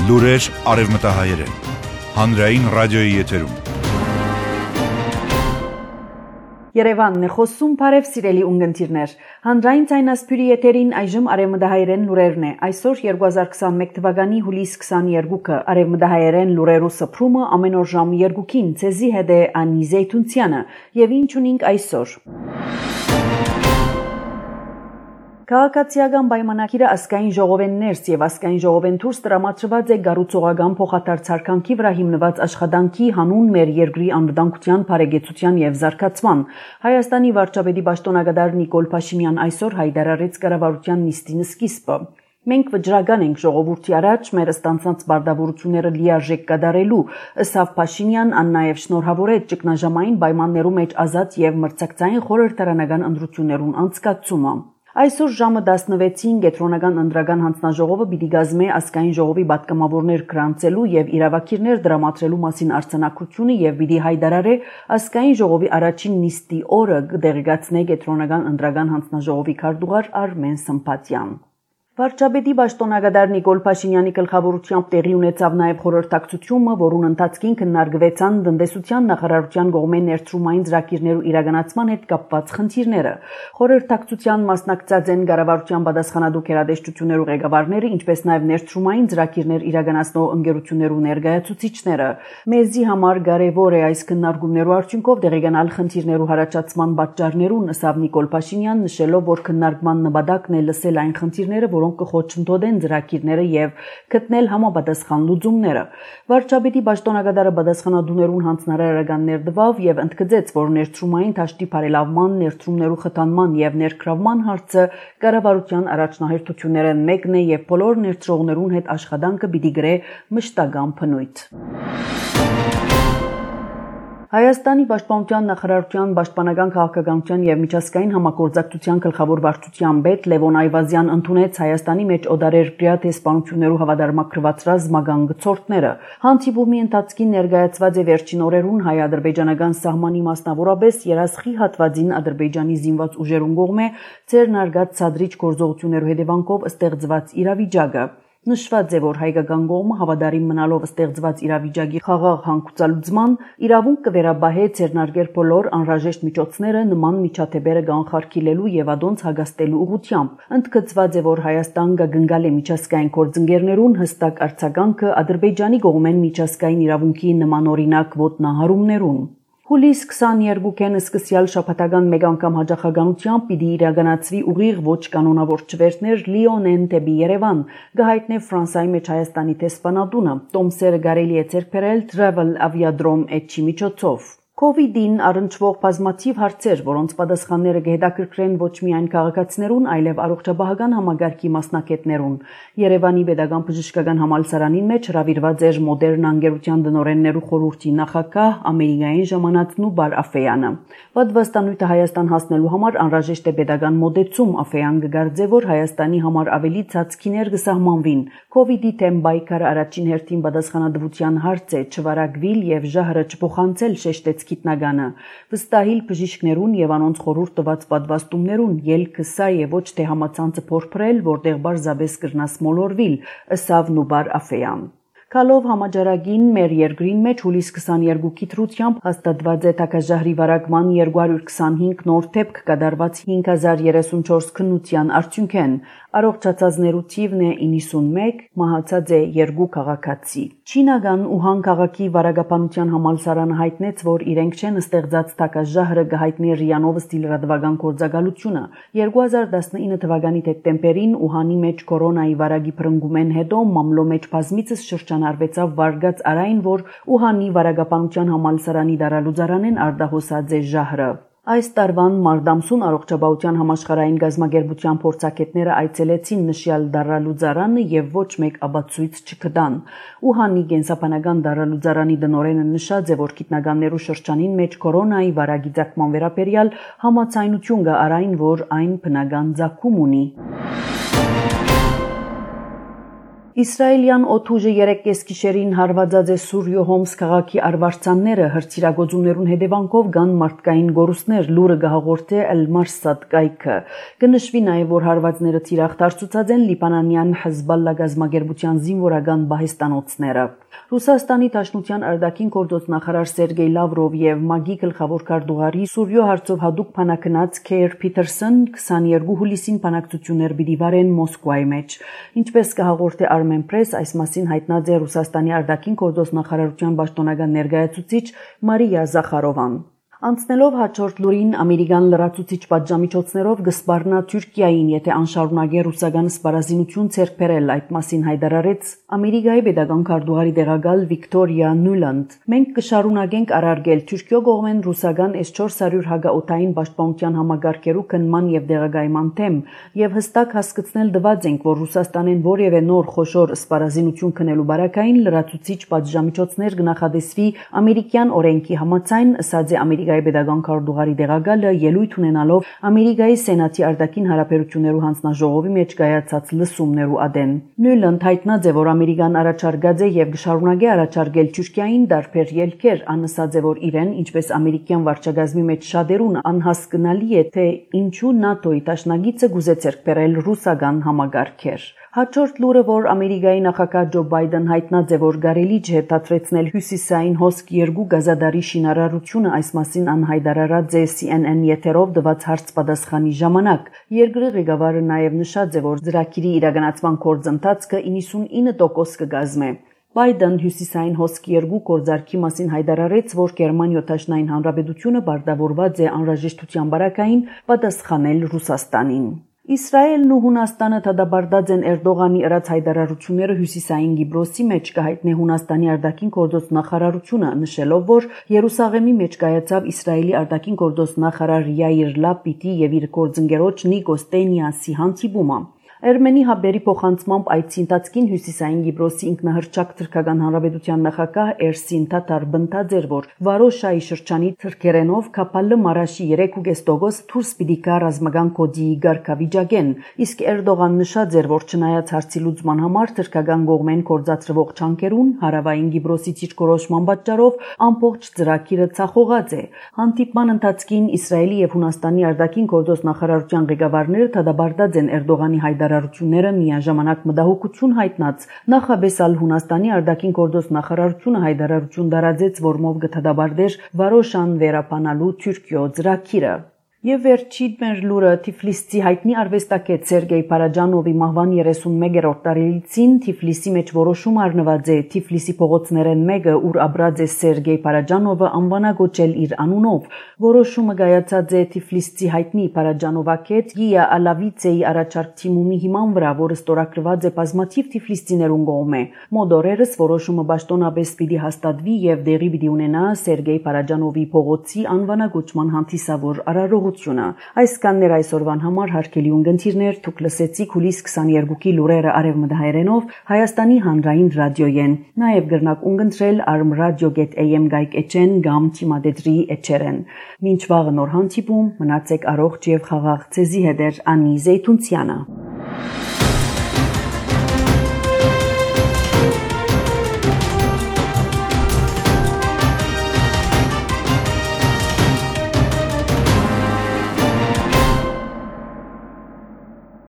Լուրեր արևմտահայերեն, հանրային ռադիոյի եթերում։ Երևանն է խոսում, բարև սիրելի ունգընտիրներ։ Հանրային ցայնասփյուրի եթերին այժմ արևմտահայերեն լուրերն է։ Այսօր 2021 թվականի հուլիս 22-ը արևմտահայերեն լուրերու սփռումը ամեն օր ժամը 2-ին ցեզի հետ է Անի Զեյթունցյանը, եւ ինչ ունենք այսօր։ Քաղաքացիական պայմանագիրը ազգային ժողովեն ներս եւ ազգային ժողովեն դուրս տրամադրված է գառուցողական փոխադարձարկանքի վրա հիմնված աշխատանքի հանուն մեր երկրի անվտանգության, բարեկեցության եւ զարգացման։ Հայաստանի վարչապետի պաշտոնագետար Նիկոլ Փաշինյան այսօր հայտարարեց կառավարության նիստին սկիզբը։ Մենք վճռական ենք ժողովրդի առաջ մեր ստանցած բարդավորությունները լիարժեք կատարելու, ըստ Փաշինյան, ան նաեւ շնորհավորեց ճգնաժամային պայմաններում մեջ ազատ եւ մրցակցային խորհրդարանական ընտրություններուն անցկացումը։ Այսօր ժամը 16-ին կենտրոնական ընտրական հանձնաժողովը պիտի կազմի ազգային ժողովի պատգամավորներ գրանցելու եւ իրավակիրներ դրամատրելու մասին արձանագրությունը եւ պիտի հայտարարի ազգային ժողովի առաջին նիստի օրը կդեղեկացնի կենտրոնական ընտրական հանձնաժողովի քարտուղար Արմեն Սմբատյան։ Վարչապետի պաշտոնագետար Նիկոլ Փաշինյանի գլխավորությամբ տեղի ունեցավ նաև խորհրդակցությունը, որուն ընթացքին քննարկվեցան տնտեսության նախարարության կողմեն ներդրումային ծրագիրներու իրականացման հետ կապված խնդիրները։ Խորհրդակցության մասնակցած են կառավարության պատասխանատու գերատեսչություններու ղեկավարները, ինչպես նաև ներդրումային ծրագիրներ իրականացնող ընկերություններու ներկայացուցիչները։ Մեզի համար կարևոր է այս քննարկումներու արդյունքով դեղեկանալ խնդիրներու հարաճացման պատճառներուն, ըստ Նիկոլ Փաշինյան, նշելով, որ քննարկման նպատակն է լսել այն խնդիրները, որոնք կխոչընդոտեն ծրագիրները եւ գտնել համապատասխան լուծումները։ Վարչապետի պաշտոնագետարը պատասխանատուներուն հանձնարարականներ տվավ եւ ընդգծեց, որ ներդրումային դաշտի բարելավման, ներդրումներու խթանման եւ ներգրավման հարցը կառավարության առաջնահերթություններն մեկն է եւ բոլոր ներդրողներուն հետ աշխատանքը պիտի գրե մշտական բնույթ։ Հայաստանի պաշտպանության նախարարության պաշտպանական քաղաքականության եւ միջազգային համագործակցության գլխավոր վարչության պետ Լևոն Այվազյան ընդունեց Հայաստանի մեջ օտարերկրյա դեսպանություններու հավատարմագրված ռազմական գծորդները։ Հանդիպումի ընթացքին ներկայացված է վերջին օրերուն հայ-ադրբեջանական սահմանի մասնավորապես երասխի հատվածին Ադրբեջանի զինված ուժերուն կողմէ ձեռնարկած ցածրիչ գործողություններու հետևանքով ստեղծված իրավիճակը։ Նշված է, որ հայկական կողմը հավատարիմ մնալով ստեղծված իրավիճակի խաղաղ հանգուցալուծման իրավունք կվերաբահե ձեռնարկել բոլոր անհրաժեշտ միջոցները նման միջադեպերը կանխարգելելու եւ ադոնց հագաստելու ուղղությամբ։ Ընդգծված է, որ Հայաստան կգնկալի միջազգային գործընկերներուն հստակ արձագանքը Ադրբեջանի կողմեն միջազգային իրավունքի նմանօրինակ ոտնահարումներուն։ Հուլիս 22-ին սկսյալ շաբաթական մեկ անգամ հաջողականությամբ պիտի իրականացվի ուղիղ ոչ կանոնավոր չվերթներ Լիոնեն դեպի Երևան, կհայտնի Ֆրանսիայի մեջ Հայաստանի դեսպանատունը։ Տոմսերը կարելի է ձեռք բերել Travel Aviadrome էջի միջոցով։ COVID-ին առնչվող բազմաթիվ հարցեր, որոնց պատասխանները կհետաքրքրեն ոչ միայն քաղաքացիներուն, այլև առողջապահական համագարկի մասնակիցներուն։ Երևանի Պետական բժշկական համալսարանին մեջ հրավիրված էր մոդեռն անգերության դնորեններու խորհրդի նախագահ Ամերիկային ժամանածնու Բար Աֆեյանը։ Պատվաստանույթը Հայաստան հասնելու համար անհրաժեշտ է պետական մոդեցում, Աֆեյան կգարձե, որ Հայաստանի համար ավելի ցածքիներ կսահմանվին։ COVID-ի թեմ բայկարը առաջին հերթին պատասխանատվության հարց է, չվարակվիլ եւ ժահրը չփոխանցել շեշտեց գիտնականը։ Վստահիլ բժիշկներուն եւ անոնց խորհուրդ տված պատվաստումներուն ելքը սա է ոչ թե համացանցը փորփրել, որտեղ բարձաբես կրնաս մոլորվիլ, ըսավ Նուբար Աֆեյան։ Կալով համաճարակին մեր երկրին մեջ հուլիս 22-ի դրությամբ հաստատված է տակաժահրի վարակման 225 նոր դեպք կատարված 5034 քննության արդյունքեն։ Առողջացածներու թիվն է 91, մահացած է 2 քաղաքացի։ Չինական Ուհան քաղաքի վարակապանության համալսարանը հայտնեց, որ իրենք չեն ստեղծած տակաժահրը կհայտնի Ռիանով ստիլ ռադվական գործակալությունը։ 2019 թվականի դեկտեմբերին Ուհանի մեջ կորոնայի վարակի բռնկումեն հետո մամլո մեջ բազմիցս շրջանառվեցավ վարգած արայն, որ Ուհանի վարակապանության համալսարանի դարալուծարանեն արտահոսած է ժահրը։ Այս տարվան մարտամսուն առողջապահության համաշխարհային գազագերբության փորձագետները այցելեցին նշյալ դարալուծարանը եւ ոչ մեկ ապացույց չգտան։ Ուհանի կենսաբանական դարալուծարանի դնորենը նշած է, որ գիտնականներու շրջանին մեջ կորոնայի վարակի ցակման վերաբերյալ համաձայնություն կա արայն, որ այն բնական ցակում ունի։ Իսրայելյան օդուժը 3 գիշերին հարվածած է Սուրյո Հոմս քաղաքի արվարձանները հրթիռագործումներուն հետևանքով կան մարդկային գորուստներ լուրը գահաղորդե Al-Marsad կայքը կնշվի նաև որ հարվածները թիրախտարցուցած են լիբանանյան Հեզբալլա գազམ་ագերբության զինվորական բահեստանոցները Ռուսաստանի Դաշնության արտաքին գործոց նախարար Սերգեյ Լավրով եւ ՄԱԳ-ի գլխավոր քարտուղարի Սուրյո հարցով հadoop փանակնած Քեյր Փիթերսոն 22 հուլիսին փանակցություններ պիտի վարեն Մոսկվայի մեջ ինչպես կհաղորդե Armen Press այս մասին հայտնած է Ռուսաստանի արտաքին գործոց նախարարության պաշտոնական ներկայացուցիչ Մարիա Զախարովան Անցնելով հաջորդ լուրին ամերիկյան լրացուցիչ պատժամիջոցներով գսպառնա Թուրքիային, եթե անշարունակե ռուսական սպառազինություն ցերկ բերել այդ մասին հայտարարեց Ամերիկայի pedagogan քարտուղարի դեղակալ Վիկտորիա Նյուլանդ։ Մենք կշարունակենք արարգել Թուրքիո կողմեն ռուսական S-400 հագաօթային պաշտպանության համագարկերու քննման եւ դեղակայման թեմ եւ հստակ հասկացնել դված ենք, որ Ռուսաստանեն որևէ նոր խոշոր սպառազինություն քնելու բարակային լրացուցիչ պատժամիջոցներ կնախադեсվի ամերիկյան օրենքի համաձայն, ըստ է pedagogan քարտուղարի դեղակալը ելույթ ունենալով Ամերիկայի Սենատի արտաքին հարաբերություններու հանձնաժողովի մեջ կայացած լսումներու ադեն։ Նյուլանդ հայտնած է, որ Ամերիկան առաջարկած է եւ կշարունակի առաջարկել Թուրքիային դարբեր ելքեր, անըսած է, որ իրեն, ինչպես ամերիկյան վարչագազմի մեջ շատերուն անհասկանալի է, թե ինչու ՆԱՏՕ-ի դաշնակիցը գուզե ցերկ բերել ռուսական համագարկեր։ Հաջորդ լուրը, որ Ամերիկայի նախագահ Ջո Բայդեն հայտնած է, որ կարելի չէ դադրեցնել հյուսիսային հոսք 2 գազադարի շինարարությունը, այս մասին անհայտարարած է CNN եթերով տված հարց-պատասխանի ժամանակ։ Երկրի ղեկավարը նաև նշած է, որ ծրագիրի իրականացման գործընթացը 99% կգազմե։ Բայդեն հյուսիսային հոսքի 2 գործարքի մասին հայտարարեց, որ Գերմանիա Դաշնային Հանրապետությունը պարտավորված է անհրաժեշտության բարակային պատասխանել Ռուսաստանին։ Իսրայելն ու Հունաստանը դադարեցած են Էրդողանի ըրած հայտարարությունները հյուսիսային Կիպրոսի մեջ կհայտնի Հունաստանի արտաքին գործոց նախարարությունը նշելով, որ Երուսաղեմի մեջ կայացավ Իսրայելի արտաքին գործոց նախարար Յայիր Լապիդի եւ իր գործընկերոջ Նիկոս Տենիասի հանդիպումը։ Էրմենի հաբերի փոխանցմամբ այդ ընթացքին հյուսիսային Կիպրոսի ինքնահռչակ թրքական հանրապետության նախագահ Էրսին Թաթար բնտած էր, որ Վարոշայի շրջանի թրքերենով Քապալը Մարաշի 3.5% դուրս պիտի գա ռազմական կոդիի ղեկավարին, իսկ Էրդողան նշած էր, որ չնայած հարցի լուծման համար թրքական կողմեն կորցածրվող չանկերուն հարավային Կիպրոսի ճիճկորոշման պատճառով ամբողջ ծրագիրը ցախողած է։ Հանդիպման ընթացքին Իսրայելի եւ Հունաստանի արտաքին գործոց նախարարության ղեկավարները դադարեցած են Էրդողանի հայտարարությունները միաժամանակ մտահոգություն հայտնած նախաբեսալ Հունաստանի արտաքին գործոց նախարարությունը հայտարարություն տարածեց, որմով կդադարեր Վարոշան վերապանալու Թուրքիո ծրագիրը։ Եվ վերջին մեր լուրը Թիֆլիսի հայտնի արվեստագետ Սերգեյ Պարաջանովի մահվան 31-րդ տարելիցին Թիֆլիսի մեջ որոշում առնված է Թիֆլիսի փողոցներեն մեկը, ուր ապրած է Սերգեյ Պարաջանովը անվանագոչել իր անունով։ Որոշումը կայացած է Թիֆլիսի հայտնի Պարաջանովակետ Գիա Ալավիցեի առաջարկ թիմումի հիման վրա, որը ստորագրված է բազմաթիվ թիֆլիսցիներուն կողմէ։ Մոդորերս որոշումը պաշտոնապես պիտի հաստատվի եւ դեղի պիտի ունենա Սերգեյ Պարաջանովի փողոցի անվանագոչման հանդիսավոր արարողությունը։ Այսքաններ այսօրվան համար հարգելի ունգընտիրներ, դուք լսեցիք հուլիս 22-ի լուրերը արևմտահայերենով Հայաստանի հանրային ռադիոյեն։ Նաև գրնակ ունգընտրել armradio.am գայք-էջեն կամ թիմադետրի էջերեն։ Մինչ վաղը նոր հանդիպում, մնացեք առողջ եւ խաղաղ ցեզի հետ Անի Զեյթունցյանը։